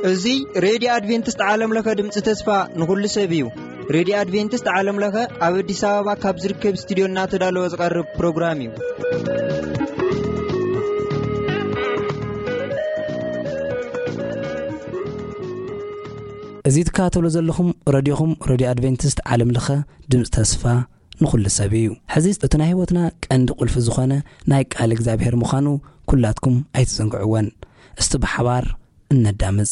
እዚ ሬድዮ ኣድቬንቲስት ዓለም ለኸ ድምፂ ተስፋ ንኹሉ ሰብ እዩ። ሬድዮ ኣድቬንቲስት ዓለም ለኸ ኣብ ኣዲስ ኣበባ ካብ ዝርከብ ስቱዲዮ እናተዳለወ ዝቐርብ ፕሮግራም እዩ። እዚ ትከታተሉ ዘለኹም ረድዮኹም ሬድዮ ኣድቬንቲስት ዓለም ለኸ ድምፂ ተስፋ ንኹሉ ሰብ እዩ። ሕዚ እቲ ናይ ህይወትና ቀንዲ ቁልፊ ዝኾነ ናይ ቃል እግዚኣብሔር ምዃኑ ኩላትኩም ኣይትዘንግዕወን። እስቲ ብሓባር እነዳምፅ።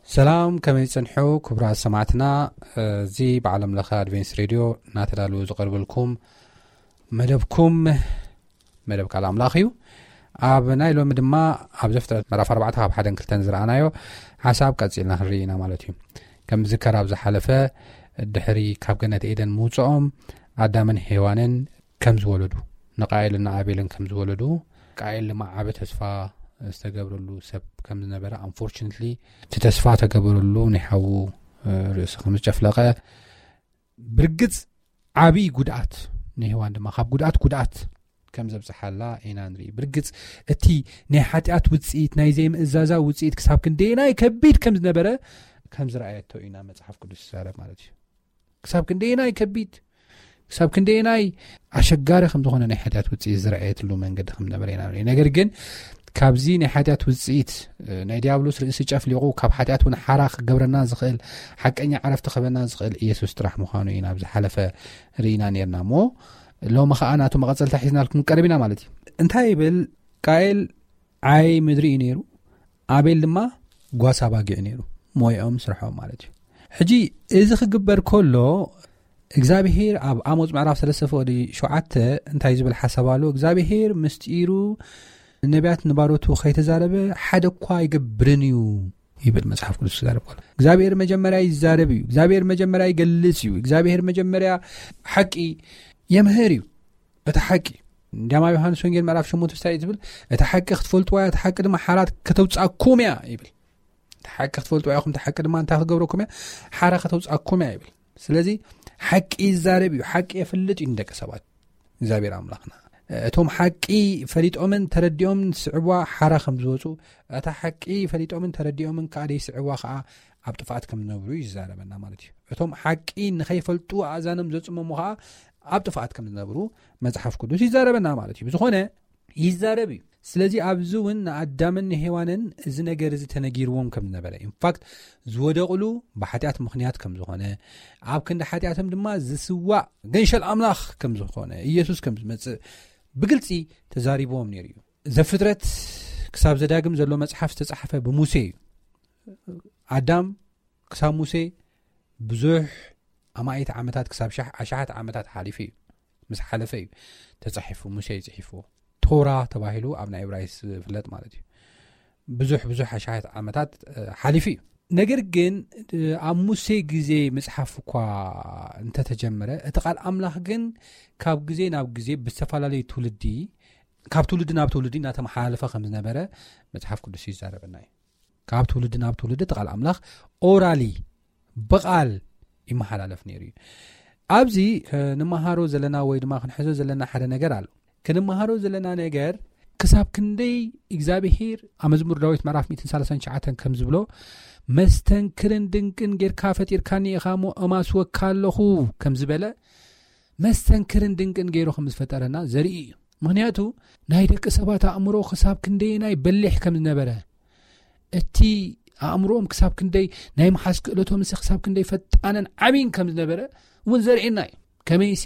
ሰላም፣ ከመይ ጸንሑ ክቡራት ሰማዕትና? እዚ ብዓለም ለኸ ኣድቬንስ ሬድዮ እናተዳለወ ዝቐርበልኩም መደብኩም መደብ ቃል ኣምላኽ እዩ። ኣብ ናይ ሎሚ ድማ ኣብ ዘፍጥረት ምዕራፍ ኣርባዕተ ካብ ሓደን ክልተን ዝረኣናዮ ሓሳብ ቀጺልና ክንርኢ ኢና ማለት እዩ። ከም ዝከር ኣብ ዝሓለፈ ድሕሪ ካብ ገነት ኤደን ምውፅኦም ኣዳምን ሄዋንን ከም ዝወለዱ፣ ንቃኤልን ንኣቤልን ከም ዝወለዱ፣ ቃኤል ድማ ዓቢ ተስፋ ዝተገብረሉ ሰብ ከም ዝነበረ፣ ኣንፎርቹነትሊ እቲ ተስፋ ተገበረሉ ናይ ሓዉ ርእሲ ከም ዝጨፍለቐ፣ ብርግጽ ዓቢ ጉድኣት ንሄዋን ድማ ካብ ጉድኣት ጉድኣት ከም ዘብጽሓላ ኢና ንርኢ። ብርግጽ እቲ ናይ ሓጢኣት ውጽኢት፣ ናይ ዘይምእዛዛ ውጽኢት ክሳብ ክንደየናይ ከቢድ ከም ዝነበረ ከም ዝረኣየቶ ኢና መጽሓፍ ቅዱስ ዝዛረብ ማለት እዩ። ክሳብ ክንደየናይ ከቢድ፣ ክሳብ ክንደየናይ ኣሸጋሪ ከም ዝኾነ ናይ ሓጢኣት ውጽኢት ዝረኣየትሉ መንገዲ ከም ዝነበረ ኢና ንርኢ። ነገር ግን ካብዚ ናይ ሓጢኣት ውጽኢት፣ እ፣ ናይ ዲያብሎስ ርእሲ ጨፍሊቑ ካብ ሓጢኣት እውን ሓራ ክገብረና ዝኽእል፣ ሓቀኛ ዕረፍቲ ክህበና ዝኽእል ኢየሱስ ጥራሕ ምዃኑ ኢና ኣብ ዝሓለፈ ርኢና ነርና እሞ፣ ሎሚ ኸኣ ናቱ መቐጸልታ ሒዝናልኩም ቀሪብ ኢና ማለት እዩ። እንታይ ይብል? ቃኤል ዓይ ምድሪ እዩ ነይሩ፣ ኣቤል ድማ ጓሳ ባጊዕ ነይሩ፣ ሞይኦም ስርሖም ማለት እዩ። ሕጂ እዚ ክግበር ከሎ እግዚኣብሄር ኣብ ኣሞጽ ምዕራፍ ሰለስተ ፍቕዲ ሸውዓተ እንታይ ዝብል ሓሳብ ኣሎ? እግዚኣብሄር ምስጢሩ ንነቢያት ንባሮቱ ከይተዛረበ ሓደ እኳ ኣይገብርን እዩ ይብል መጽሓፍ ቅዱስ ክዛረብ ከሎ። እግዚኣብሄር መጀመርያ ይዛረብ እዩ። እግዚኣብሄር መጀመርያ ይገልጽ እዩ። እግዚኣብሄር መጀመርያ ሓቂ የምህር እዩ። እቲ ሓቂ እንዲያም ኣብ ዮሃንስ ወንጌል ምዕራፍ ሸሞንተ እንታይ እዩ ዝብል? እቲ ሓቂ ክትፈልጥዋ እያ፣ እቲ ሓቂ ድማ ሓራ ከተውጽኣኩም እያ ይብል። እቲ ሓቂ ክትፈልጥዋ ኢኹም፣ እቲ ሓቂ ድማ እንታይ ክትገብረኩም እያ? ሓራ ከተውጽኣኩም እያ ይብል። ስለዚ ሓቂ ይዛረብ እዩ፣ ሓቂ የፍልጥ እዩ ንደቂ ሰባት እግዚኣብሔር ኣምላኽና። እቶም ሓቂ ፈሊጦምን ተረዲኦምን ዝስዕብዋ ሓራ ከም ዝወፁ፣ እታ ሓቂ ፈሊጦምን ተረዲኦምን ከዓ ደይስዕብዋ ከዓ ኣብ ጥፍኣት ከም ዝነብሩ እዩ ዝዛረበና ማለት እዩ። እቶም ሓቂ ንኸይፈልጡ ኣእዛኖም ዘፅመሙ ከዓ ኣብ ጥፍኣት ከም ዝነብሩ መጽሓፍ ቅዱስ ይዛረበና ማለት እዩ። ብዝኾነ ይዛረብ እዩ። ስለዚ ኣብዚ እውን ንኣዳምን ንሄዋንን እዚ ነገር እዚ ተነጊርዎም ከም ዝነበረ፣ ኢንፋክት ዝወደቕሉ ብሓጢኣት ምኽንያት ከም ዝኾነ፣ ኣብ ክንዲ ሓጢኣቶም ድማ ዝስዋእ ገንሸል ኣምላኽ ከም ዝኾነ፣ ኢየሱስ ከም ዝመጽእ ብግልጺ ተዛሪብዎም ነይሩ እዩ። ዘፍጥረት ክሳብ ዘዳግም ዘሎ መጽሓፍ ዝተጻሕፈ ብሙሴ እዩ። ኣዳም ክሳብ ሙሴ ብዙሕ ኣማኢት ዓመታት፣ ክሳብ ሻሕ-፣ ኣሽሓት ዓመታት ሓሊፉ እዩ። ምስ ሓለፈ እዩ ተጻሒፉ፣ ሙሴ እዩ ጽሒፍዎ። ቶራ ተባሂሉ ኣብ ናይ እብራይስ ዝፍለጥ ማለት እዩ። ብዙሕ፣ ብዙሕ ኣሽሓት ዓመታት፣ እ፣ ሓሊፉ እዩ። ነገር ግን፣ እ፣ ኣብ ሙሴ ግዜ ምጽሓፍ እኳ እንተተጀመረ፣ እቲ ቃል ኣምላኽ ግን ካብ ግዜ ናብ ግዜ ብዝተፈላለዩ ትውልዲ፣ ካብ ትውልዲ ናብ ትውልዲ እናተመሓላለፈ ከም ዝነበረ መጽሓፍ ቅዱስ ይዛረበና እዩ። ካብ ትውልዲ ናብ ትውልዲ እቲ ቃል ኣምላኽ ኦራሊ፣ ብቓል ይመሓላለፍ ነይሩ እዩ። ኣብዚ ክንመሃሮ ዘለና ወይ ድማ ክንሕዞ ዘለና ሓደ ነገር ኣሎ። ክንመሃሮ ዘለና ነገር ክሳብ ክንደይ እግዚኣብሄር ኣብ መዝሙር ዳዊት ምዕራፍ ሚእትን ሰላሳን ትሽዓተን ከም ዝብሎ፣ "መስተንክርን ድንቅን ጌርካ ፈጢርካኒ ኢኻ እሞ እማስወካ ኣለኹ" ከም ዝበለ፣ መስተንክርን ድንቅን ገይሩ ከም ዝፈጠረና ዘርኢ እዩ። ምኽንያቱ ናይ ደቂ ሰባት ኣእምሮ ክሳብ ክንደየናይ በሊሕ ከም ዝነበረ፣ እቲ ኣእምሮኦም ክሳብ ክንደይ ናይ ምሓዝ ክእለቶምሲ ክሳብ ክንደይ ፈጣንን ዓብይን ከም ዝነበረ እውን ዘርእየና እዩ። ከመይሲ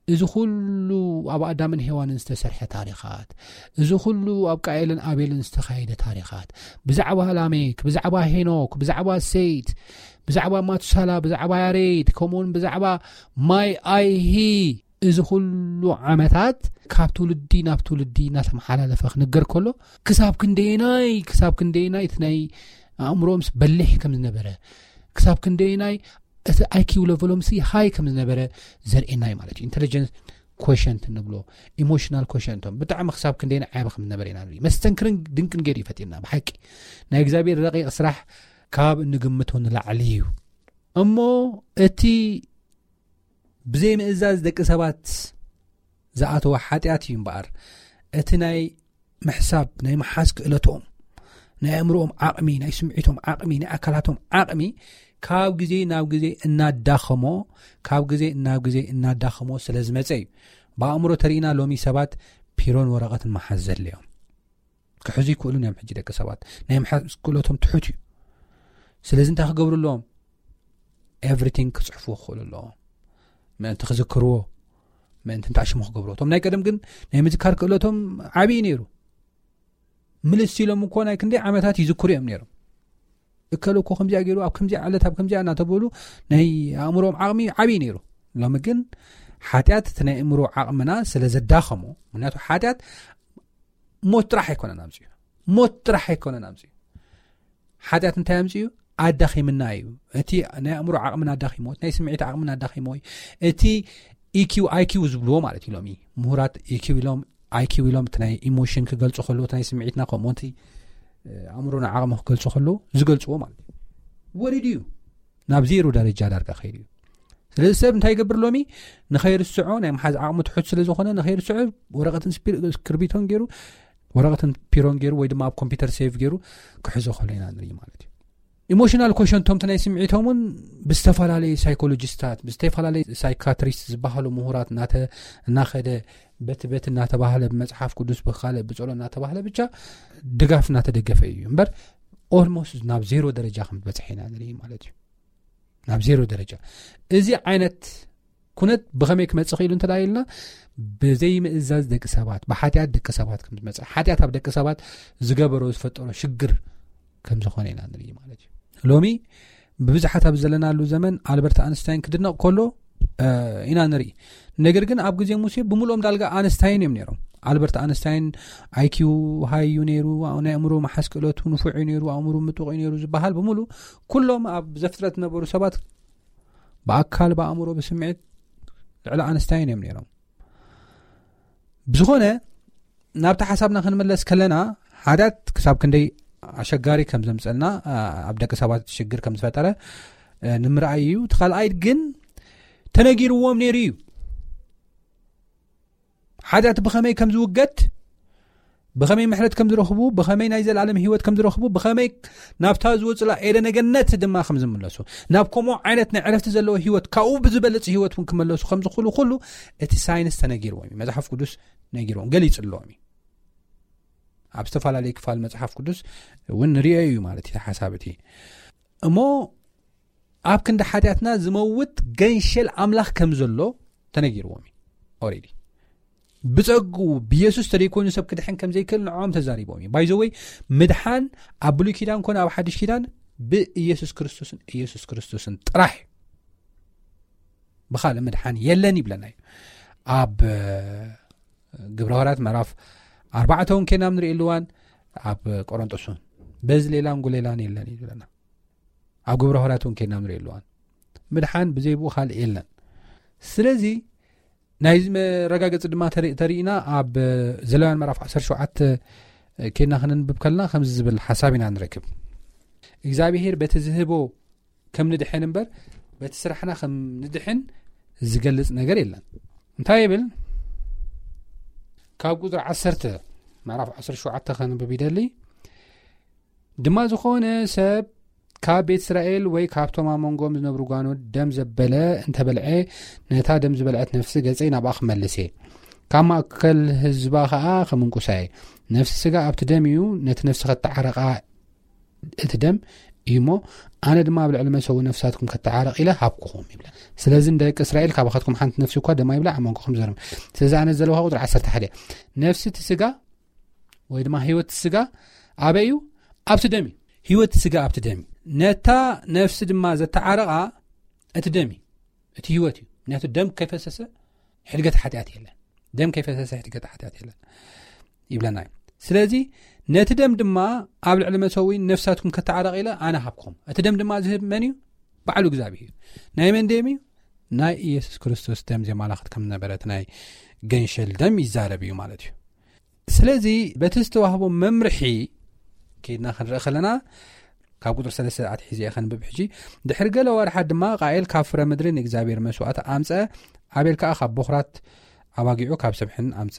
እዚ ኩሉ ኣብ ኣዳምን ሄዋንን ዝተሰርሐ ታሪኻት፣ እዚ ኩሉ ኣብ ቃኤልን ኣቤልን ዝተኻየደ ታሪኻት፣ ብዛዕባ ላሜክ፣ ብዛዕባ ሄኖክ፣ ብዛዕባ ሴት፣ ብዛዕባ ማቱሳላ፣ ብዛዕባ ያሬድ፣ ከምኡውን ብዛዕባ ማይ ኣይሂ እዚ ኩሉ ዓመታት ካብ ትውልዲ ናብ ትውልዲ እናተመሓላለፈ ክንገር ከሎ፣ ክሳብ ክንደየናይ ክሳብ ክንደየናይ እቲ ናይ ኣእምሮኦምስ በሊሕ ከም ዝነበረ፣ ክሳብ ክንደየናይ እቲ ኣይኪው ለቨሎምሲ ሃይ ከም ዝነበረ ዘርእየና እዩ ማለት እዩ። ኢንቴሊጀንስ ኮሸንት እንብሎ፣ ኢሞሽናል ኮሸንቶም ብጣዕሚ ክሳብ ክንደየናይ ዓቢ ከም ዝነበረ ኢና ንርኢ። መስተንክርን ድንቅን ገይሩ ይፈጢርና። ብሓቂ ናይ እግዚኣብሔር ረቂቕ ስራሕ ካብ እንግምቶ ንላዕሊ እዩ። እሞ እቲ ብዘይምእዛዝ ደቂ ሰባት ዝኣተወ ሓጢኣት እዩ እምበኣር፣ እቲ ናይ ምሕሳብ ናይ ምሓዝ ክእለቶም፣ ናይ ኣእምሮኦም ዓቕሚ፣ ናይ ስምዒቶም ዓቕሚ፣ ናይ ኣካላቶም ዓቕሚ ካብ ግዜ ናብ ግዜ እናዳኸሞ፣ ካብ ግዜ ናብ ግዜ እናዳኸሞ ስለ ዝመጸ እዩ። ብኣእምሮ ተሪእና ሎሚ ሰባት ፒሮን ወረቐትን መሓዝ ዘድልዮም። ክሕዙ ይክእሉን እዮም። ሕጂ ደቂ ሰባት ናይ ምሓዝ ክእለቶም ትሑት እዩ። ስለዚ እንታይ ክገብሩ ኣለዎም? ኤቭሪቲንግ ክጽሕፉ ክኽእሉ ኣለዎም። ምእንቲ ክዝክርዎ፣ ምእንቲ እንታይ ሽሙ ክገብርዎ። እቶም ናይ ቀደም ግን ናይ ምዝካር ክእለቶም ዓብዪ ነይሩ። ምልስ ኢሎም እኮ ናይ ክንደይ ዓመታት ይዝክሩ እዮም ነይሮም። እከለ እኮ ከምዚኣ ገይሩ፣ ኣብ ከምዚኣ ዕለት፣ ኣብ ከምዚኣ እናተበሉ ናይ ኣእምሮኦም ዓቕሚ ዓብዪ ነይሩ። ሎሚ ግን ሓጢኣት እቲ ናይ ኣእምሮ ዓቕምና ስለ ዘዳኸሞ፣ ምክንያቱ ሓጢኣት ሞት ጥራሕ ኣይኮነን ኣምፅኡ። ሞት ጥራሕ ኣይኮነን ኣምፅኡ። ሓጢኣት እንታይ ኣምፅኡ? ኣዳኺምና እዩ። እቲ ናይ ኣእምሮ ዓቕምና ኣዳኺሞ፣ እቲ ናይ ስምዒት ዓቕምና ኣዳኺሞ እዩ። እቲ ኢኪው ኣይኪው ዝብልዎ ማለት እዩ። ሎሚ ምሁራት ኢኪው ኢሎም፣ ኣይኪው ኢሎም፣ እቲ ናይ ኢሞሽን ክገልፁ ከለዉ፣ እቲ ናይ ስምዒትና ከምኡ፣ እቲ ኣእምሮና ዓቕሚ ክገልፁ ከለዉ ዝገልፅዎ ማለት እዩ። ወሪዱ እዩ፣ ናብ ዜሮ ደረጃ ዳርጋ ከይዱ እዩ። ስለዚ ሰብ እንታይ ይገብር ሎሚ? ንኸይርስዖ፣ ናይ ምሓዝ ዓቕሙ ትሑት ስለ ዝኾነ፣ ንኸይርስዖ ወረቐትን ስፒ-፣ እስክርቢቶን ገይሩ፣ ወረቐትን ፒሮን ገይሩ፣ ወይ ድማ ኣብ ኮምፒውተር ሴቭ ገይሩ ክሕዞ ከሎ ኢና ንርኢ ማለት እዩ። ኢሞሽናል ኮሸንቶም፣ እቲ ናይ ስምዒቶም እውን ብዝተፈላለዩ ሳይኮሎጂስታት፣ ብዝተፈላለዩ ሳይካትሪስት ዝበሃሉ ምሁራት እናተ-፣ እናኸደ፣ በቲ በቲ እናተባህለ፣ ብመጽሓፍ ቅዱስ፣ ብኻልእ ብጸሎ እናተባህለ፣ ብቻ ድጋፍ እናተደገፈ እዩ እምበር፣ ኦልሞስት ናብ ዜሮ ደረጃ ከም ዝበጽሐ ኢና ንርኢ ማለት እዩ። ናብ ዜሮ ደረጃ። እዚ ዓይነት ኩነት ብኸመይ ክመጽእ ክኢሉ እንተ ደኣ ኢልና፣ ብዘይምእዛዝ ደቂ ሰባት፣ ብሓጢኣት ደቂ ሰባት ከም ዝመጽእ፣ ሓጢኣት ኣብ ደቂ ሰባት ዝገበሮ ዝፈጠሮ ሽግር ከም ዝኾነ ኢና ንርኢ ማለት እዩ። ሎሚ ብብዝሓት ኣብ ዘለናሉ ዘመን ኣልበርት ኣንስታይን ክድነቕ ከሎ፣ እ፣ ኢና ንርኢ። ነገር ግን ኣብ ግዜ ሙሴ ብምሉኦም ዳልጋ ኣንስታይን እዮም ነይሮም። ኣልበርት ኣንስታይን ኣይኪው ሃይ እዩ ነይሩ፣ ናይ ኣእምሮ መሓዝ ክእለቱ ንፉዕ እዩ ነይሩ፣ ኣእምሮ ምጡቕ እዩ ነይሩ ዝበሃል ብምሉ ኩሎም ኣብ ዘፍጥረት ዝነበሩ ሰባት ብኣካል፣ ብኣእምሮ፣ ብስምዒት ልዕሊ ኣንስታይን እዮም ነይሮም። ብዝኾነ ናብቲ ሓሳብና ክንመለስ ከለና ሓጢኣት ክሳብ ክንደይ ኣሸጋሪ ከም ዘምጸልና፣ ኣ፣ ኣብ ደቂ ሰባት ሽግር ከም ዝፈጠረ፣ እ፣ ንምርኣይ እዩ። እቲ ካልኣይ ግን ተነጊርዎም ነይሩ እዩ። ሓጢኣት ብኸመይ ከም ዝውገድ፣ ብኸመይ ምሕረት ከም ዝረኽቡ፣ ብኸመይ ናይ ዘላለም ህይወት ከም ዝረኽቡ፣ ብኸመይ ናብታ ዝወጽላ ኤደነ ገነት ድማ ከም ዝምለሱ፣ ናብ ከምኡ ዓይነት ናይ ዕረፍቲ ዘለዎ ህይወት፣ ካብኡ ብዝበልጽ ህይወት እውን ክመለሱ ከም ዝኽእሉ ኩሉ እቲ ሳይንስ ተነጊርዎም እዩ። መጽሓፍ ቅዱስ ነጊርዎም፣ ገሊጽሎም እዩ። ኣብ ዝተፈላለየ ክፋል መጽሓፍ ቅዱስ እውን ንሪኦ እዩ ማለት እዩ ሓሳብ እቲ። እሞ ኣብ ክንዲ ሓጢኣትና ዝመውት ገንሸል ኣምላኽ ከም ዘሎ ተነጊርዎም እዩ ኦሬዲ። ብጸግኡ ብየሱስ ተደይኮይኑ ሰብ ክድሕን ከም ዘይክእል ንዕኦም ተዛሪቦም እዩ። ባይ ዘ ወይ፣ ምድሓን ኣብ ብሉይ ኪዳን ኮነ ኣብ ሓድሽ ኪዳን ብኢየሱስ ክርስቶስን ኢየሱስ ክርስቶስን ጥራሕ እዩ። ብኻልእ ምድሓን የለን ይብለና እዩ። ኣብ፣ እ፣ ግብረ ሃዋርያት ምዕራፍ ኣርባዕተ እውን ኬና ንርኢ ኣለዋን፣ ኣብ ቆሮንጦስ እውን በዚ ሌላን ጉሌላን የለን ይብለና። ኣብ ግብረ ሃዋርያት እውን ኬና ንርኢ ኣለዋን። ምድሓን ብዘይ ብኡ ካልእ የለን። ስለዚ ናይዚ መረጋገጺ ድማ ተሪ-፣ ተሪእና ኣብ ዘሌዋውያን ምዕራፍ ዓሰርተ ሸውዓተ ኬና ክንንብብ ከለና ከምዚ ዝብል ሓሳብ ኢና ንረክብ። እግዚኣብሄር በቲ ዝህቦ ከም ንድሕን እምበር በቲ ስራሕና ከም ንድሕን ዝገልጽ ነገር የለን። እንታይ ይብል? ካብ ቁጽሪ ዓሰርተ ምዕራፍ ዓሰርተ ሸውዓተ ከንብብ ይደሊ። ድማ ዝኾነ ሰብ ካብ ቤት እስራኤል ወይ ካብቶም ኣብ መንጎም ዝነብሩ ጓኖት ደም ዘበለ እንተበልዐ፣ ነታ ደም ዝበልዐት ነፍሲ ገጸይ ናብኣ ክመልስ እየ። ካብ ማእከል ህዝባ ኸኣ ክምንቁሳ እየ። ነፍሲ ስጋ ኣብቲ ደም እዩ፣ ነቲ ነፍሲ ኸተዓርቓ እቲ ደም እዩ እሞ፣ ኣነ ድማ ኣብ ልዕሊ መሰዊ ነፍሳትኩም ከተዓርቕ ኢለ ሃብኩኹም ይብላ። ስለዚ ንደቂ እስራኤል፣ ካባኻትኩም ሓንቲ ነፍሲ እኳ ደም ኣይብላዕ፣ ኣብ መንጎኹም ዘርም። ስለዚ ኣነ ዘለውኻ ቁጽሪ ዓሰርተ ሓደ፣ ነፍሲ እቲ ስጋ ወይ ድማ ህይወት ስጋ ኣበይ እዩ? ኣብቲ ደም እዩ። ህይወት ስጋ ኣብቲ ደም እዩ። ነታ ነፍሲ ድማ ዘተዓረቓ እቲ ደም እዩ። እቲ ህይወት እዩ። ምክንያቱ ደም ከይፈሰሰ ሕድገት ሓጢኣት የለን። ደም ከይፈሰሰ ሕድገት ሓጢኣት የለን ይብለና እዩ። ስለዚ ነቲ ደም ድማ ኣብ ልዕሊ መሰዊ ነፍሳትኩም ከተዓረቕ ኢለ ኣነ ሃብኩም። እቲ ደም ድማ ዝህብ መን እዩ? ባዕሉ እግዚኣብሔር እዩ። ናይ መን ደም እዩ? ናይ ኢየሱስ ክርስቶስ ደም ዘማላኽት ከም ነበረት ናይ ገንሸል ደም ይዛረብ እዩ ማለት እዩ። ስለዚ በቲ ዝተዋህቦ መምርሒ ከይድና ክንርኢ ከለና ካብ ቁጥሪ ሰለስተ ኣትሒዘ እየ ከንብብ ሕጂ። ድሕሪ ገለ ወርሓት ድማ ቃኤል ካብ ፍረ ምድሪ ንእግዚኣብሔር መስዋእቲ ኣምፀ፣ ኣቤል ከዓ ካብ ቦኽራት ኣባጊዑ ካብ ስብሕን ኣምፀ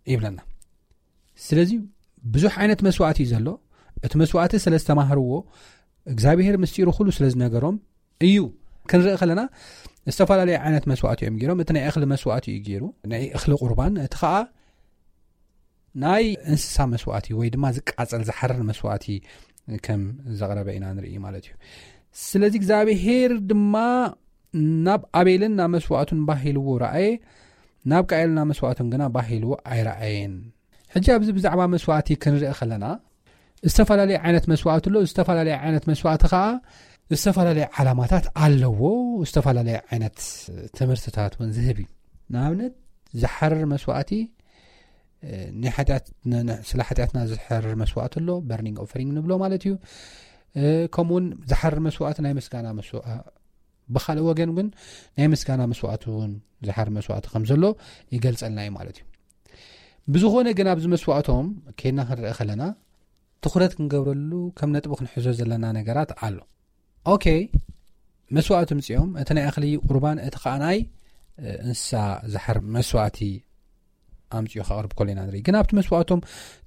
ይብለና። ስለዚ ብዙሕ ዓይነት መስዋእቲ እዩ ዘሎ። እቲ መስዋእቲ ስለ ዝተማህርዎ እግዚኣብሔር ምስጢሩ ኩሉ ስለ ዝነገሮም እዩ። ክንርኢ ከለና ዝተፈላለዩ ዓይነት መስዋእቲ እዮም ገይሮም። እቲ ናይ እኽሊ መስዋእቲ እዩ ገይሩ፣ ናይ እኽሊ ቁርባን፣ እቲ ከዓ ናይ እንስሳ መስዋእቲ ወይ ድማ ዝቃጸል ዝሓርር መስዋእቲ ከም ዘቕረበ ኢና ንርኢ ማለት እዩ። ስለዚ እግዚኣብሔር ድማ ናብ ኣቤልን ናብ መስዋእቱን ባህ ኢልዎ ረኣየ፣ ናብ ቃኤል ናብ መስዋእቱን ግና ባህ ኢልዎ ኣይረኣየን። ሕጂ ኣብዚ ብዛዕባ መስዋእቲ ክንርኢ ከለና ዝተፈላለየ ዓይነት መስዋእቲ ኣሎ። ዝተፈላለየ ዓይነት መስዋእቲ ከዓ ዝተፈላለየ ዓላማታት ኣለዎ። ዝተፈላለየ ዓይነት ትምህርትታት እውን ዝህብ እዩ። ንኣብነት ዝሓርር መስዋእቲ፣ እ፣ ናይ ሓጢኣት፣ ን-፣ ን-፣ ስለ ሓጢኣትና ዝሓርር መስዋእቲ ኣሎ፣ በርኒንግ ኦፈሪንግ ንብሎ ማለት እዩ። እ፣ ከምኡውን ዝሓርር መስዋእቲ ናይ ምስጋና መስዋ-፣ ብኻልእ ወገን ግን ናይ ምስጋና መስዋእቲ እውን ዝሓርር መስዋእቲ ከም ዘሎ ይገልጸልና እዩ ማለት እዩ። ብዝኾነ ግን ኣብዚ መስዋእቶም ከይድና ክንርኢ ከለና ትኹረት ክንገብረሉ ከም ነጥቢ ክንሕዞ ዘለና ነገራት ኣሎ። ኦኬ፣ መስዋእቲ ምጽኦም፣ እቲ ናይ እኽሊ ቁርባን፣ እቲ ኸኣ ናይ፣ እ፣ እንስሳ ዝሓር መስዋእቲ ኣምጽኡ ከቕርብ ከሎ ኢና ንርኢ። ግን ኣብቲ መስዋእቶም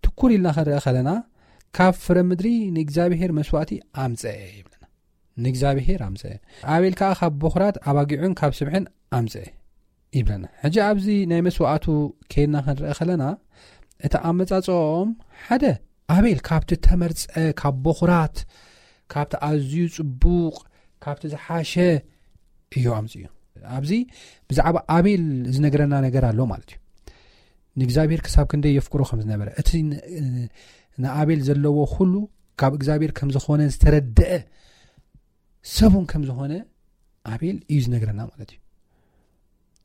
ትኩር ኢልና ክንርኢ ከለና ካብ ፍረ ምድሪ ንእግዚኣብሔር መስዋእቲ ኣምጸአ ይብለና። ንእግዚኣብሔር ኣምጸአ። ኣቤል ከኣ ካብ ቦኽራት ኣባጊዑን ካብ ስብሕን ኣምጸአ ይብለና። ሕጂ ኣብዚ ናይ መስዋእቱ ከይድና ክንርኢ ከለና እቲ ኣመጻጽኦም ሓደ ኣቤል ካብቲ ተመርጸ፣ ካብ ቦኽራት፣ ካብቲ ኣዝዩ ጽቡቕ፣ ካብቲ ዝሓሸ እዩ ኣምጽኡ። ኣብዚ ብዛዕባ ኣቤል ዝነግረና ነገር ኣሎ ማለት እዩ። ንእግዚኣብሔር ክሳብ ክንደይ የፍቅሮ ከም ዝነበረ፣ እቲ ን-፣ ንኣቤል ዘለዎ ኩሉ ካብ እግዚኣብሔር ከም ዝኾነ ዝተረደአ ሰብ እውን ከም ዝኾነ ኣቤል እዩ ዝነግረና ማለት እዩ።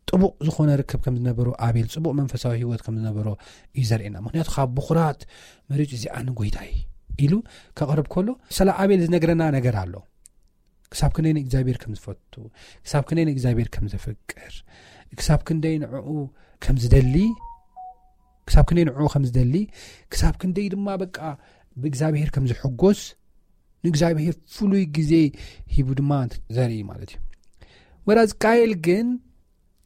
ጥቡቕ ዝኾነ ርክብ ከም ዝነበሮ ኣቤል፣ ጽቡቕ መንፈሳዊ ህይወት ከም ዝነበሮ እዩ ዘርእየና። ምኽንያቱ ካብ ብኹራት መሪጹ እዚኣ ንጎይታይ ኢሉ ከቕርብ ከሎ፣ ስለ ኣቤል ዝነግረና ነገር ኣሎ። ክሳብ ክንደይ ንእግዚኣብሔር ከም ዝፈቱ፣ ክሳብ ክንደይ ንእግዚኣብሔር ከም ዘፍቅር፣ ክሳብ ክንደይ ንዕኡ ከም ዝደሊ፣ ክሳብ ክንደይ ንዕኡ ከም ዝደሊ፣ ክሳብ ክንደይ ድማ በቃ ብእግዚኣብሔር ከም ዝሕጎስ፣ ንእግዚኣብሔር ፍሉይ ግዜ ሂቡ ድማ ዘርኢ ማለት እዩ። ወራዝ ቃየል ግን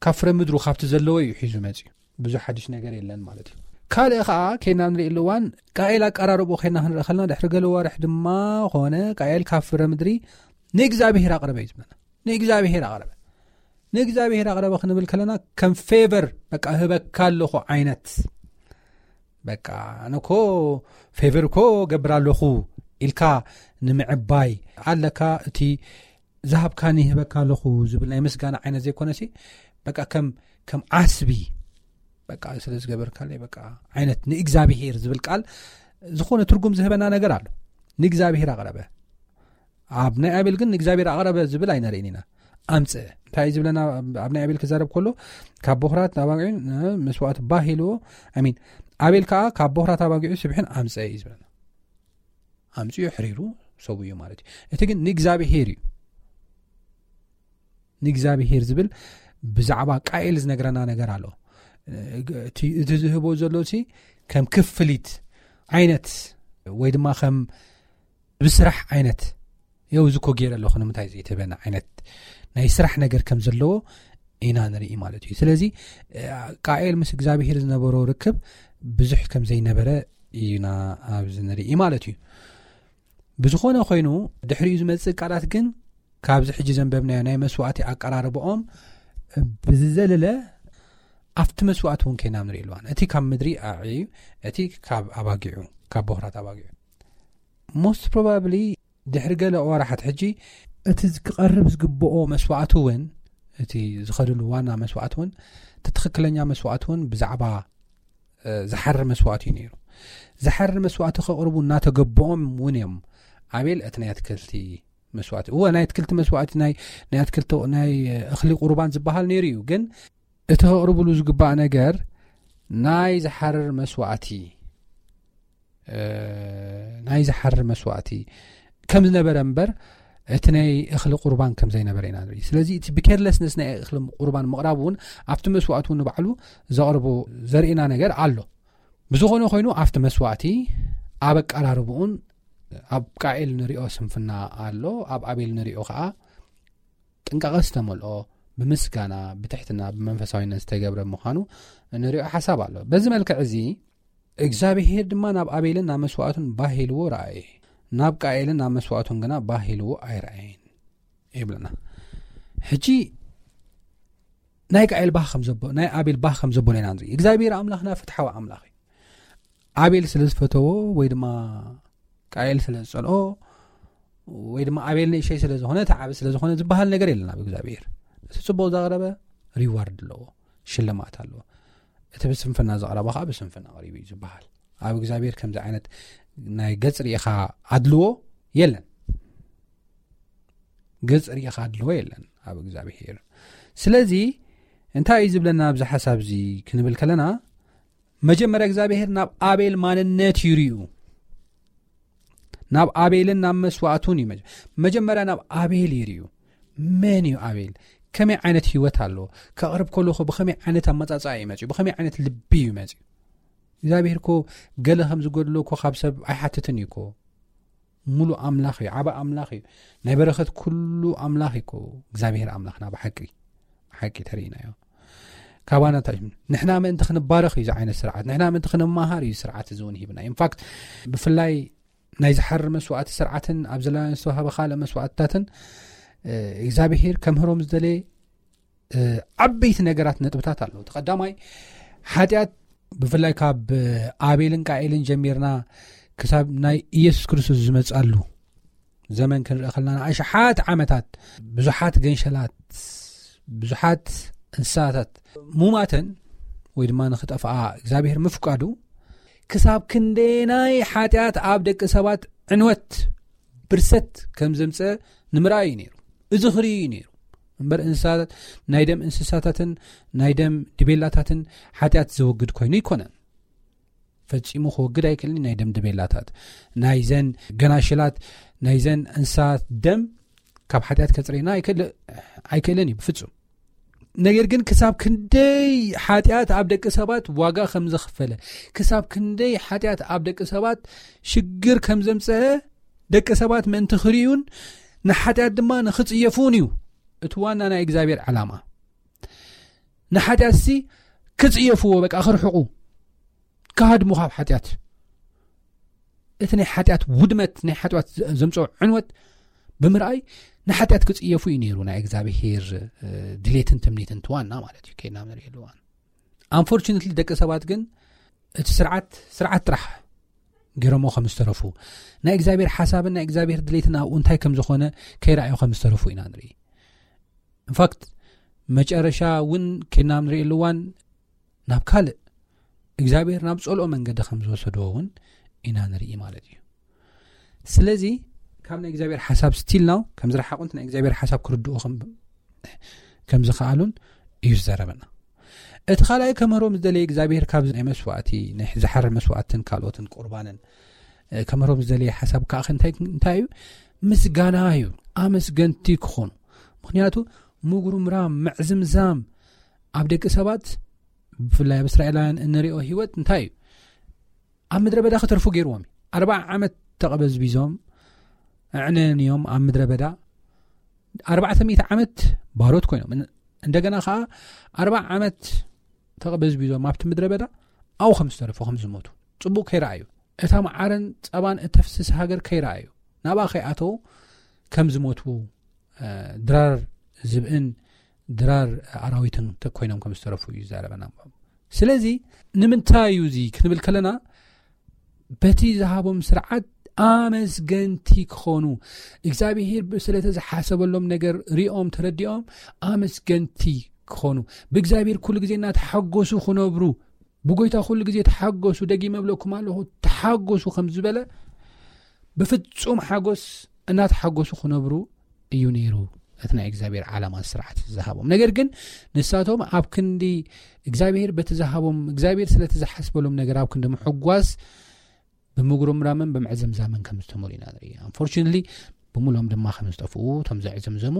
ካብ ፍረ ምድሩ ካብቲ ዘለዎ እዩ ሒዙ መጽዩ። ብዙሕ ሓድሽ ነገር የለን ማለት እዩ። ካልእ ኸዓ ከይና ንርኢ እዋን ቃኤል ኣቀራርቦ ከይና ክንርኢ ከለና ድሕሪ ገለ ወርሕ ድማ ኾነ ቃኤል ካብ ፍረ ምድሪ ንእግዚኣብሔር ኣቕረበ እዩ ዝብለና። ንእግዚኣብሔር ኣቕረበ። ንእግዚኣብሔር ኣቕረበ ክንብል ከለና ከም ፌቨር በቃ ህበካ ኣለኹ ዓይነት በቃ ኣነ እኮ ፌቨር እኮ ገብር ኣለኹ ኢልካ ንምዕባይ ኣለካ። እቲ ዝሃብካኒ ህበካ ኣለኹ ዝብል ናይ ምስጋና ዓይነት ዘይኮነሲ በቃ ከም፣ ከም ዓስቢ በቃ ስለ ዝገበርካለይ በቃ ዓይነት ንእግዚኣብሔር ዝብል ቃል ዝኾነ ትርጉም ዝህበና ነገር ኣሎ። ንእግዚኣብሔር ኣቕረበ። ኣብ ናይ ኣቤል ግን ንእግዚኣብሔር ኣቕረበ ዝብል ኣይነርእን ኢና። ኣምጽእ እንታይ እዩ ዝብለና? ኣብ ናይ ኣቤል ክዛረብ ከሎ ካብ ቦኽራት ኣባጊዑ መስዋእቲ ባህ ኢልዎ፣ ኣሚን፣ ኣቤል ከዓ ካብ ቦኽራት ኣባጊዑ ስብሕን ኣምጽእ እዩ ዝብለና። ኣምጽኡ ሕሪሩ ሰብኡ ማለት እዩ። እቲ ግን ንእግዚኣብሔር እዩ። ንእግዚኣብሔር ዝብል ብዛዕባ ቃኤል ዝነግረና ነገር ኣሎ። እቲ፣ እቲ ዝህቦ ዘሎ ሲ ከም ክፍሊት ዓይነት ወይ ድማ ከም ብስራሕ ዓይነት፣ የው እዚ እኮ ገይረ ኣለኹ ንምንታይ ዘይትህበና ዓይነት ናይ ስራሕ ነገር ከም ዘለዎ ኢና ንርኢ ማለት እዩ። ስለዚ ቃኤል ምስ እግዚኣብሔር ዝነበሮ ርክብ ብዙሕ ከም ዘይነበረ እዩና ኣብዚ ንርኢ ማለት እዩ። ብዝኾነ ኮይኑ ድሕሪኡ ዝመጽእ ቃላት ግን ካብዚ ሕጂ ዘንበብናዮ ናይ መስዋእቲ ኣቀራርባኦም ብዝዘለለ ኣብቲ መስዋእቲ እውን ከይና ንርኢ ኣለዋን። እቲ ካብ ምድሪ ኣዕዩ፣ እቲ ካብ ኣባጊዑ፣ ካብ ቦኽራት ኣባጊዑ። ሞስት ፕሮባብሊ ድሕሪ ገለ ወራሓት ሕጂ እቲ ክቐርብ ዝግብኦ መስዋእቲ እውን፣ እቲ ዝኸድሉ ዋና መስዋእቲ እውን፣ እቲ ትኽክለኛ መስዋእቲ እውን ብዛዕባ፣ እ፣ ዝሓርር መስዋእቲ እዩ ነይሩ። ዝሓርር መስዋእቲ ከቕርቡ እናተገብኦም እውን እዮም። ኣቤል እቲ ናይ ኣትክልቲ መስዋእቲ፣ እወ፣ ናይ ኣትክልቲ መስዋእቲ፣ ናይ፣ ናይ ኣትክልቲ፣ ናይ እኽሊ ቁርባን ዝበሃል ነይሩ እዩ። ግን እቲ ከቕርብሉ ዝግባእ ነገር ናይ ዝሓርር መስዋዕቲ፣ እ፣ ናይ ዝሓርር መስዋዕቲ ከም ዝነበረ እምበር፣ እቲ ናይ እኽሊ ቁርባን ከም ዘይነበረ ኢና ንርኢ። ስለዚ እቲ ብኬርለስነስ ናይ እኽሊ ቁርባን ምቕራብ እውን ኣብቲ መስዋዕቲ እውን ንባዕሉ ዘቕርቦ ዘርእና ነገር ኣሎ። ብዝኾነ ኮይኑ ኣብቲ መስዋዕቲ ኣብ ኣቀራርብኡን ኣብ ቃኤል ንሪኦ ስንፍና ኣሎ፣ ኣብ ኣቤል ንሪኦ ከዓ ጥንቃቐ ዝተመልኦ፣ ብምስጋና፣ ብትሕትና፣ ብመንፈሳዊነት ዝተገብረ ምዃኑ ንሪኦ ሓሳብ ኣሎ። በዚ መልክዕ እዚ እግዚኣብሄር ድማ ናብ ኣቤልን ናብ መስዋዕቱን ባህ ኢልዎ ረኣየ፣ ናብ ቃኤልን ናብ መስዋዕቱን ግና ባህ ኢልዎ ኣይረኣየን ይብለና። ሕጂ ናይ ቃኤል ባህ ከም ዘቦ-፣ ናይ ኣቤል ባህ ከም ዘበሎ ኢና ንርኢ። እግዚኣብሄር ኣምላኽና ፍትሓዊ ኣምላኽ እዩ። ኣቤል ስለ ዝፈተዎ ወይ ድማ ቃኤል ስለ ዝጸልኦ ወይ ድማ ኣቤል ንእሸይ ስለ ዝኾነ፣ እቲ ዓቢ ስለ ዝኾነ ዝበሃል ነገር የለን ኣብ እግዚኣብሄር። እቲ ጽቡቕ ዘቕረበ ሪዋርድ ኣለዎ፣ ሽልማት ኣለዎ። እቲ ብስንፍና ዘቕረበ ከዓ ብስንፍና ቀሪቡ እዩ ዝበሃል። ኣብ እግዚኣብሄር ከምዚ ዓይነት ናይ ገጽ ርኢኻ ኣድልዎ የለን። ገጽ ርኢኻ ኣድልዎ የለን ኣብ እግዚኣብሄር። ስለዚ እንታይ እዩ ዝብለና ኣብዚ ሓሳብ እዚ ክንብል ከለና፣ መጀመርያ እግዚኣብሄር ናብ ኣቤል ማንነት ይርእዩ። ናብ ኣቤልን ናብ መስዋዕቱን እዩ መጀ-፣ መጀመርያ ናብ ኣቤል ይርእዩ። መን እዩ ኣቤል? ከመይ ዓይነት ህይወት ኣለዎ? ከቕርብ ከለኹ ብኸመይ ዓይነት ኣመጻጽኣ እዩ መጺኡ? ብኸመይ ዓይነት ልቢ እዩ መጺኡ? እግዚኣብሄር እኮ ገለ ከም ዝጎድሎ እኮ ካብ ሰብ ኣይሓትትን እዩ እኮ። ሙሉእ ኣምላኽ እዩ፣ ዓቢ ኣምላኽ እዩ። ናይ በረኸት ኩሉ ኣምላኽ እዩ እኮ እግዚኣብሄር ኣምላኽና ብሓቂ፣ ብሓቂ ተርእይናዮ። ካባና እንታይ እዩ? ንሕና ምእንቲ ክንባረኽ እዩ እዚ ዓይነት ስርዓት፣ ንሕና ምእንቲ ክንመሃር እዩ ስርዓት እዚ እውን ሂብና። ኢንፋክት ብፍላይ ናይ ዝሓርር መስዋዕቲ ስርዓትን ኣብ ዘላውያን ዝተዋህበ ካልእ መስዋዕትታትን፣ እ፣ እግዚኣብሄር ከምህሮም ዝደለየ፣ እ፣ ዓበይቲ ነገራት ነጥብታት ኣለዉ። እቲ ቀዳማይ ሓጢኣት ብፍላይ ካብ ኣቤልን ቃኤልን ጀሚርና ክሳብ ናይ ኢየሱስ ክርስቶስ ዝመጻሉ ዘመን ክንርኢ ከለና ንኣሽሓት ዓመታት ብዙሓት ገንሸላት፣ ብዙሓት እንስሳታት ሙማተን ወይ ድማ ንኽጠፍኣ እግዚኣብሄር ምፍቃዱ ክሳብ ክንደናይ ሓጢኣት ኣብ ደቂ ሰባት ዕንወት ብርሰት ከም ዘምጸ ንምርኣይ እዩ ነይሩ። እዚ ክርኢ እዩ ነይሩ። እምበር እንስሳታት፣ ናይ ደም እንስሳታትን ናይ ደም ድቤላታትን ሓጢኣት ዘወግድ ኮይኑ ኣይኮነን። ፈጺሙ ክወግድ ኣይክእልን። ናይ ደም ድቤላታት፣ ናይዘን ገናሽላት፣ ናይዘን እንስሳት ደም ካብ ሓጢኣት ከጽርየና ኣይክእል-፣ ኣይክእልን እዩ ብፍጹም። ነገር ግን ክሳብ ክንደይ ሓጢኣት ኣብ ደቂ ሰባት ዋጋ ከም ዘኽፈለ፣ ክሳብ ክንደይ ሓጢኣት ኣብ ደቂ ሰባት ሽግር ከም ዘምጸአ ደቂ ሰባት ምእንቲ ክርእዩን ንሓጢኣት ድማ ንኽጽየፉን እዩ እቲ ዋና ናይ እግዚኣብሔር ዓላማ። ንሓጢኣትሲ ክጽየፍዎ፣ በቃ ክርሕቑ፣ ክሃድሙ ካብ ሓጢኣት። እቲ ናይ ሓጢኣት ውድመት፣ ናይ ሓጢኣት ዘ-፣ ዘምጽኦ ዕንወት ብምርኣይ ንሓጢኣት ክጽየፉ እዩ ነይሩ ናይ እግዚኣብሔር፣ እ፣ ድሌትን ትምኒትን እቲ ዋና ማለት እዩ። ከይድና ንርእየሉ እዋን። ኣንፎርቹነትሊ ደቂ ሰባት ግን እቲ ስርዓት፣ ስርዓት ጥራሕ ገይሮሞ ከም ዝተረፉ፣ ናይ እግዚኣብሔር ሓሳብን ናይ እግዚኣብሔር ድሌትን ኣብኡ እንታይ ከም ዝኾነ ከይረኣዩ ከም ዝተረፉ ኢና ንርኢ። ኢንፋክት መጨረሻ እውን ከይድና ንርእየሉ እዋን ናብ ካልእ እግዚኣብሔር ናብ ጸልኦ መንገዲ ከም ዝወሰድዎ እውን ኢና ንርኢ ማለት እዩ። ስለዚ ካብ ናይ እግዚኣብሔር ሓሳብ ስቲል ናው ከም ዝረሓቑን ናይ እግዚኣብሔር ሓሳብ ክርድኡ ከም፣ ከም ዝኸኣሉን እዩ ዝዛረበና። እቲ ካልኣይ ከምህሮም ዝደለየ እግዚኣብሔር ካብዚ ናይ መስዋእቲ፣ ናይ ዝሓርር መስዋእትን ካልኦትን ቁርባንን፣ እ፣ ከምህሮም ዝደለየ ሓሳብ ከዓ እንታይ፣ እንታይ እዩ? ምስጋና እዩ። ኣመስገንቲ ክኾኑ። ምኽንያቱ ምጉርምራም፣ ምዕዝምዛም ኣብ ደቂ ሰባት፣ ብፍላይ ኣብ እስራኤላውያን እንሪኦ ህይወት እንታይ እዩ? ኣብ ምድረ በዳ ክተርፉ ገይርዎም እዩ። ኣርብዓ ዓመት ተቐበዝቢዞም፣ ኣዕነንዮም ኣብ ምድረ በዳ ኣርባዕተ ሚእቲ ዓመት ባሮት ኮይኖም፣ እን-፣ እንደገና ኸዓ ኣርብዓ ዓመት ተቐበዝቢዞም ኣብቲ ምድረ በዳ ኣብኡ ከም ዝተረፉ፣ ከም ዝሞቱ ጽቡቕ ከይረኣዩ፣ እታ መዓርን ጸባን እተፍስስ ሃገር ከይረኣዩ፣ ናብኣ ከይኣተዉ ከም ዝሞቱ፣ እ፣ ድራር ዝብእን ድራር ኣራዊትን ተ-፣ ኮይኖም ከም ዝተረፉ እዩ ዝዛረበና። ስለዚ ንምንታይ እዩ እዚ ክንብል ከለና፣ በቲ ዝሃቦም ስርዓት ኣመስገንቲ ክኾኑ፣ እግዚኣብሔር ብ-፣ ስለቲ ዝሓሰበሎም ነገር ሪኦም ተረዲኦም ኣመስገንቲ ክኾኑ፣ ብእግዚኣብሔር ኩሉ ግዜ እናተሓጎሱ ክነብሩ፣ ብጎይታ ኩሉ ግዜ ተሓጎሱ፣ ደጊመ እብለኩም ኣለኹ፣ ተሓጎሱ ከም ዝበለ፣ ብፍጹም ሓጎስ እናተሓጎሱ ክነብሩ እዩ ነይሩ እቲ ናይ እግዚኣብሔር ዓላማ ስርዓት ዝሃቦም። ነገር ግን ንሳቶም ኣብ ክንዲ እግዚኣብሔር በቲ ዝሃቦም፣ እግዚኣብሔር ስለቲ ዝሓስበሎም ነገር ኣብ ክንዲ ምሕጓስ፣ ብምጉርምራምን ብምዕዝምዛምን ከም ዝተመሉ ኢና ንርኢ። ኣንፎርቹነትሊ ብምሎም ድማ ከም ዝጠፍኡ፣ እቶም ዘዕዘምዘሙ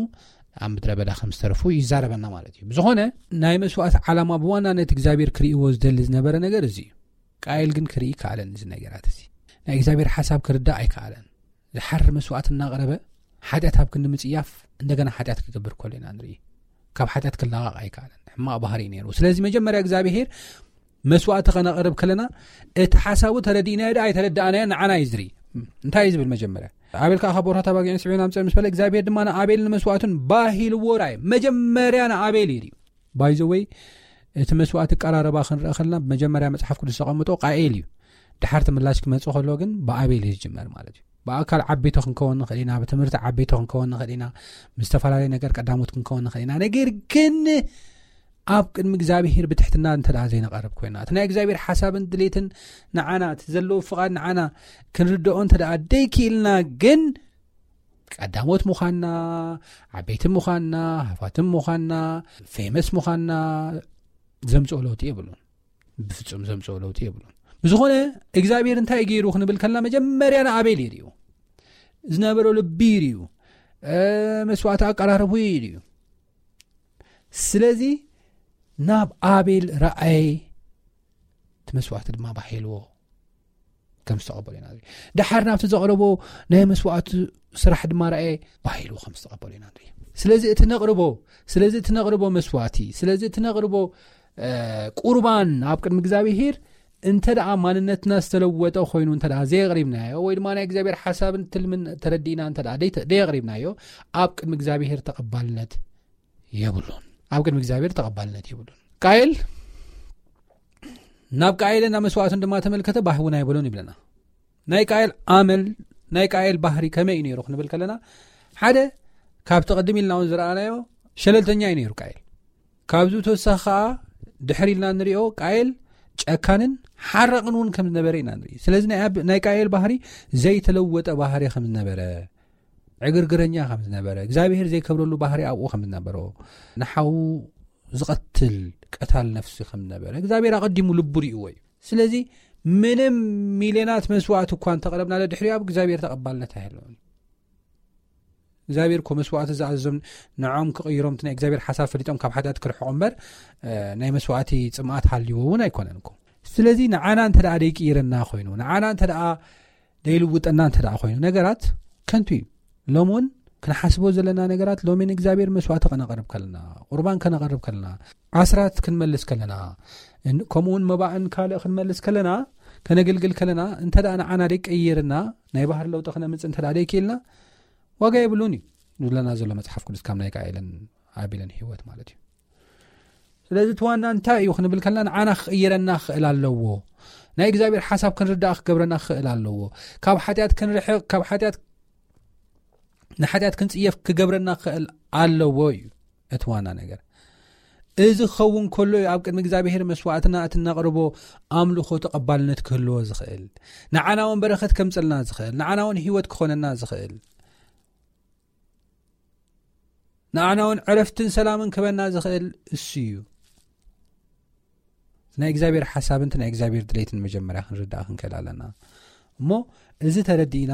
ኣብ ምድረ በዳ ከም ዝተረፉ ይዛረበና ማለት እዩ። ብዝኾነ ናይ መስዋዕት ዓላማ ብዋናነት እግዚኣብሔር ክርእይዎ ዝደሊ ዝነበረ ነገር እዚ እዩ። ቃየል ግን ክርኢ ከኣለን እዚ ነገራት እዚ። ናይ እግዚኣብሔር ሓሳብ ክርዳእ ኣይከኣለን። ዝሓር መስዋዕት እናቕረበ ሓጢኣት ኣብ ክንዲ ምጽያፍ እንደገና ሓጢኣት ክገብር ከሎ ኢና ንርኢ። ካብ ሓጢኣት ክላቐቕ ኣይከኣለን። ሕማቕ ባህሪ እዩ ነይሩ። ስለዚ መጀመርያ እግዚኣብሔር መስዋዕቲ ከነቕርብ ከለና እቲ ሓሳቡ ተረዲእናዮ ዶ ኣይተረዳእናዮ ንዓና እዩ ዝርኢ። እንታይ እዩ ዝብል መጀመርያ? ኣቤል ከዓ ካብ ቦርታት ኣባጊዕን ስዒቡን ኣምፀ ምስ በለ እግዚኣብሔር ድማ ንኣቤልን ንመስዋዕቱን ባሂልዎ ራእየ። መጀመርያ ንኣቤል እዩ ርዩ። ባይዘወይ እቲ መስዋዕቲ ቀራረባ ክንርኢ ከለና ብመጀመርያ መፅሓፍ ቅዱስ ዘቐምጦ ቃኤል እዩ። ድሓር ትምላሽ ክመፅእ ከሎ ግን ብኣቤል እዩ ዝጅመር ማለት እዩ። ብኣካል ዓበይቲ ክንከውን ንኽእል ኢና፣ ብትምህርቲ ዓበይቲ ክንከውን ንኽእል ኢና፣ ምስ ዝተፈላለዩ ነገር ቀዳሞት ክንከውን ንኽእል ኢና። ነገር ግን ኣብ ቅድሚ እግዚኣብሔር ብትሕትና እንተ ደኣ ዘይንቐርብ ኮይና፣ እቲ ናይ እግዚኣብሔር ሓሳብን ድሌትን ንዓና፣ እቲ ዘለዎ ፍቓድ ንዓና ክንርድኦ እንተ ደኣ ደይክኢልና ግን ቀዳሞት ምዃንና፣ ዓበይቲ ምዃንና፣ ሃፋትም ምዃንና፣ ፌመስ ምዃንና ዘምፅኦ ለውጢ የብሉን። ብፍጹም ዘምፅኦ ለውጢ የብሉን። ብዝኾነ እግዚኣብሔር እንታይ ገይሩ ክንብል ከልና መጀመርያ ንኣቤል ይርዩ። ዝነበሮ ልቢ ይርዩ። መስዋዕቲ ኣቀራረቡ ይርዩ። ስለዚ ናብ ኣቤል ረኣየ፣ እቲ መስዋዕቲ ድማ ባሂልዎ ከም ዝተቐበሉ ኢና ንርኢ። ደሓር ናብቲ ዘቕረቦ ናይ መስዋዕቲ ስራሕ ድማ ረኣየ፣ ባሂልዎ ከም ዝተቐበሉ ኢና ንርኢ። ስለዚ እቲ ነቕርቦ ስለዚ እቲ ነቕርቦ መስዋዕቲ ስለዚ እቲ ነቕርቦ ቁርባን ኣብ ቅድሚ እግዚኣብሄር እንተ ደኣ ማንነትና ዝተለወጠ ኮይኑ እንተ ደኣ ዘየቕሪብናዮ፣ ወይ ድማ ናይ እግዚኣብሔር ሓሳብን ትልምን ተረዲእና እንተ ደኣ ደይ-፣ ደየቕሪብናዮ፣ ኣብ ቅድሚ እግዚኣብሔር ተቐባልነት የብሉን። ኣብ ቅድሚ እግዚኣብሔር ተቐባልነት የብሉን። ቃየል ናብ ቃየልን ናብ መስዋዕቱን ድማ ተመልከተ፣ ባህ እውን ኣይበሎን ይብለና። ናይ ቃየል ኣመል፣ ናይ ቃየል ባህሪ ከመይ እዩ ነይሩ ክንብል ከለና፣ ሓደ ካብቲ ቅድም ኢልና እውን ዝረኣናዮ ሸለልተኛ እዩ ነይሩ ቃየል። ካብዚ ተወሳኺ ከዓ ድሕር ኢልና ንሪኦ ቃየል ጨካንን ሓራቕን እውን ከም ዝነበረ ኢና ንርኢ። ስለዚ ናይ ኣብ-፣ ናይ ቃየል ባህሪ ዘይተለወጠ ባህሪ ከም ዝነበረ፣ ዕግርግረኛ ከም ዝነበረ፣ እግዚኣብሔር ዘይከብረሉ ባህሪ ኣብኡ ከም ዝነበሮ፣ ንሓዉ ዝቐትል ቀታል ነፍሲ ከም ዝነበረ እግዚኣብሔር ኣቐዲሙ ልቡ ሪእዎ እዩ። ስለዚ ምንም ሚልዮናት መስዋዕት እኳ እንተቕረብናለ ድሕሪኡ ኣብ እግዚኣብሔር ተቐባልነት ኣይህልዎን። እግዚኣብሔር እኮ መስዋዕቲ ዝኣዘዞም ንዖም ክቕይሮም እቲ ናይ እግዚኣብሔር ሓሳብ ፈሊጦም ካብ ሓጢኣት ክርሕቑ እምበር፣ እ፣ ናይ መስዋዕቲ ጽምኣት ሃልይዎ እውን ኣይኮነን እኮ። ስለዚ ንዓና እንተ ደኣ ደይቅይረና ኮይኑ፣ ንዓና እንተ ደኣ ደይልውጠና እንተ ደኣ ኮይኑ፣ ነገራት ከንቱ እዩ። ሎሚ እውን ክንሓስቦ ዘለና ነገራት ሎሚ ንእግዚኣብሔር መስዋዕቲ ከነቕርብ ከለና፣ ቁርባን ከነቕርብ ከለና፣ ኣስራት ክንመልስ ከለና፣ እን-፣ ከምኡ እውን መባእን ካልእ ክንመልስ ከለና፣ ከነገልግል ከለና፣ እንተ ደኣ ንዓና ደይቀየርና፣ ናይ ባህሪ ለውጢ ክነምጽእ እንተ ደኣ ደይክኢልና፣ ዋጋ የብሉን እዩ ዝብለና ዘሎ መጽሓፍ ቅዱስ ካብ ናይ ቃኤልን ኣቤልን ህይወት ማለት እዩ። ስለዚ እቲ ዋና እንታይ እዩ ክንብል ከለና ንዓና ክቕይረና ክኽእል ኣለዎ። ናይ እግዚኣብሔር ሓሳብ ክንርዳእ ክገብረና ክኽእል ኣለዎ። ካብ ሓጢኣት ክንርሕቕ፣ ካብ ሓጢኣት፣ ንሓጢኣት ክንጽየፍ ክገብረና ክኽእል ኣለዎ እዩ እቲ ዋና ነገር። እዚ ክኸውን ከሎ እዩ ኣብ ቅድሚ እግዚኣብሔር መስዋዕትና እቲ እነቕርቦ ኣምልኾ ተቐባልነት ክህልዎ ዝኽእል። ንዓና እውን በረኸት ከምጽልና ዝኽእል፣ ንዓና እውን ህይወት ክኾነና ዝኽእል። ንዓና እውን ዕረፍትን ሰላምን ክበና ዝኽእል እሱ እዩ። ናይ እግዚኣብሔር ሓሳብን ናይ እግዚኣብሔር ድሌትን መጀመርያ ክንርዳእ ክንክእል ኣለና። እሞ እዚ ተረዲእና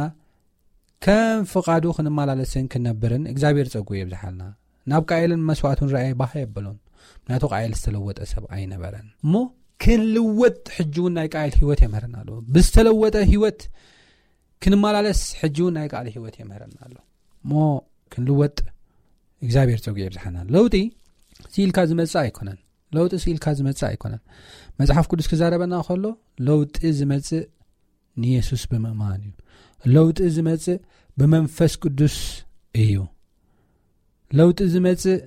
ከም ፍቓዱ ክንመላለስን ክንነብርን እግዚኣብሔር ጸጉ የብዝሓልና። ናብ ቃኤልን መስዋዕቱን ረኣየ ባህ የበሎን። ምክንያቱ ቃኤል ዝተለወጠ ሰብ ኣይነበረን። እሞ ክንልወጥ ሕጂ እውን ናይ ቃኤል ህይወት የምህረና ኣሎ። ብዝተለወጠ ህይወት ክንመላለስ ሕጂ እውን ናይ ቃል ህይወት የምህረና ኣሎ። እሞ ክንልወጥ እግዚኣብሔር ጸጉ የብዝሓና። ለውጢ ስኢልካ ዝመጽእ ኣይኮነን። ለውጢ ስኢልካ ዝመጽእ ኣይኮነን። መጽሓፍ ቅዱስ ክዛረበና ከሎ ለውጢ ዝመጽእ ንየሱስ ብምእማን እዩ። ለውጢ ዝመጽእ ብመንፈስ ቅዱስ እዩ። ለውጢ ዝመጽእ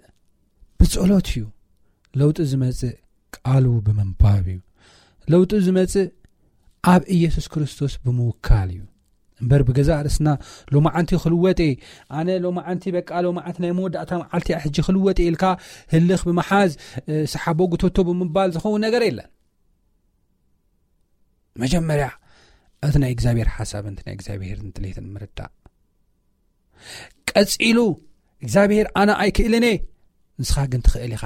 ብጸሎት እዩ። ለውጢ ዝመጽእ ቃሉ ብምንባብ እዩ። ለውጢ ዝመጽእ ኣብ ኢየሱስ ክርስቶስ ብምውካል እዩ። እምበር ብገዛእ ርእስና ሎማዓንቲ ክልወጥ እየ፣ ኣነ ሎማዓንቲ በቃ ሎማዓንቲ ናይ መወዳእታ መዓልቲ እያ ሕጂ ክልወጥ እየ ኢልካ ህልኽ ብምሓዝ፣ እ፣ ሰሓቦ ጉተቶ ብምባል ዝኸውን ነገር የለን። መጀመርያ እቲ ናይ እግዚኣብሔር ሓሳብን እቲ ናይ እግዚኣብሔር ድሌትን ምርዳእ። ቀጺሉ እግዚኣብሔር ኣነ ኣይክእልን እየ፣ ንስኻ ግን ትኽእል ኢኻ፣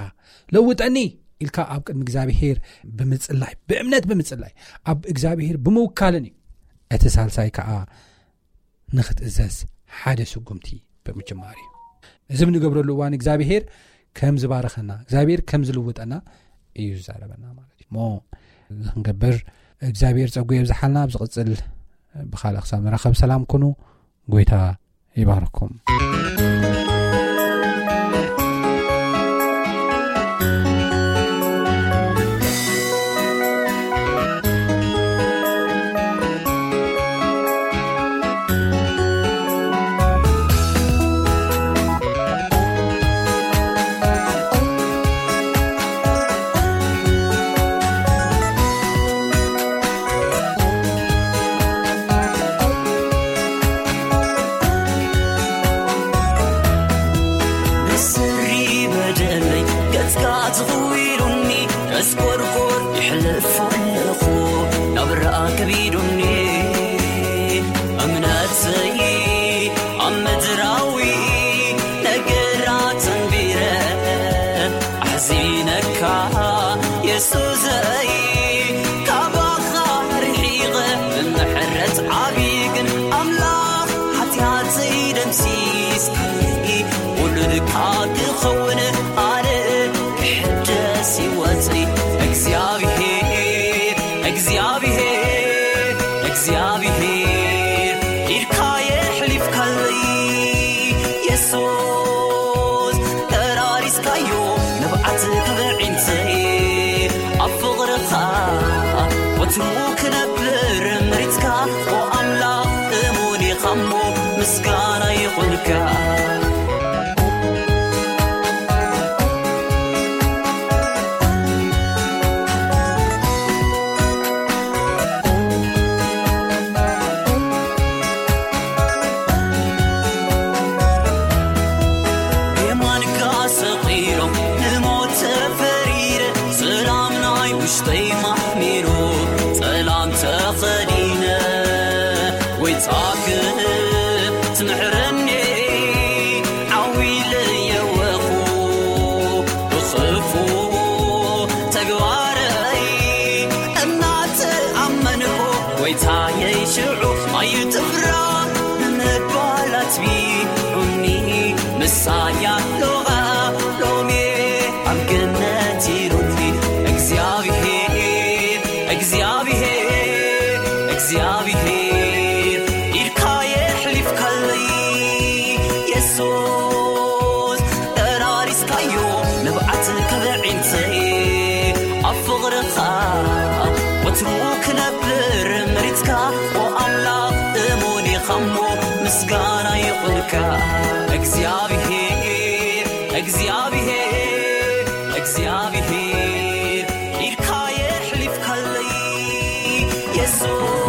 ለውጠኒ ኢልካ ኣብ ቅድሚ እግዚኣብሔር ብምጽላይ፣ ብእምነት ብምጽላይ፣ ኣብ እግዚኣብሔር ብምውካልን እዩ። እቲ ሳልሳይ ከዓ ንኽትእዘዝ ሓደ ስጉምቲ ብምጅማር እዩ። እዚ ብንገብረሉ እዋን እግዚኣብሔር ከም ዝባረኸና፣ እግዚኣብሔር ከም ዝልውጠና እዩ ዝዛረበና ማለት እዩ። እሞ እዚ ክንገብር እግዚኣብሔር ጸጉ የብዝሓልና። ኣብ ዝቕጽል ብኻልእ ክሳብ ንራኸብ ሰላም ኩኑ። ጎይታ ይባርኩም። ብስሪ በደለይ ገጽካ ትኽዊሉኒ፣ እስኮርኮር ይሕልፍ ኣለኹ ናብራ ከቢዱኒ። እምነተይ ኣብ ምድራዊ ነገራት ተንቢረ ኣሕዚነካ የሱሰይ፣ ካባኻ ርሒቐ ብምሕረት ዓብዪ ግን ኣምላኽ ሓጢኣተይ ደምሲስካለይ፣ ውሉድካ ክኸውን ኣነ ክሕደስ ህይወተይ። እግዚኣብሔር፣ እግዚኣብሔር፣ እግዚኣብሔር ኢድካ የሕሊፍካለይ፣ የሱስ ተራሪስካዮ ንብዓት ክብዒንተይ። ኣብ ፍቕርኻ ወትሩ ክነብር ምሪጽካ፣ ኦ ኣምላኽ እሙን ኢኻ እሞ ምስጋና ይኹንካ። የማንካ ሰቒሎም ንሞት ተፈሪደ፣ ሰላም ናይ ውሽጠይ ማሕሚሩ፣ ጸላም ተኸዲነ፣ ጎይታ ክትምሕረኒ ዓው ኢለ የወኹ፣ ብኽፉእ ተግባረይ እናተኣመንኩ፣ ጎይታየይ ሽዑ ኣይትፍራ ብምባል ኣትቢዑኒ፣ ምሳይ ኣሎኻ ሎሚ ኣብ ገነት ኢሉኒ። እግዚኣብሔር፣ እግዚኣብሔር፣ እግዚኣብሔር ኢድካ የሕሊፍካለይ፣ የሱስ ተራሪስካዮ ንብዓት ከብዒንተይ። ኣብ ፍቕርኻ ወትሩ ክነብር መሪጽካ፣ ኦ ኣምላኽ እሙን ኢኻ እሞ ምስጋና ይኹንካ። እግዚኣብሔር፣ እግዚኣብሔር፣ እግዚኣብሔር ኢድካ የሕሊፍካለይ፣ የሱስ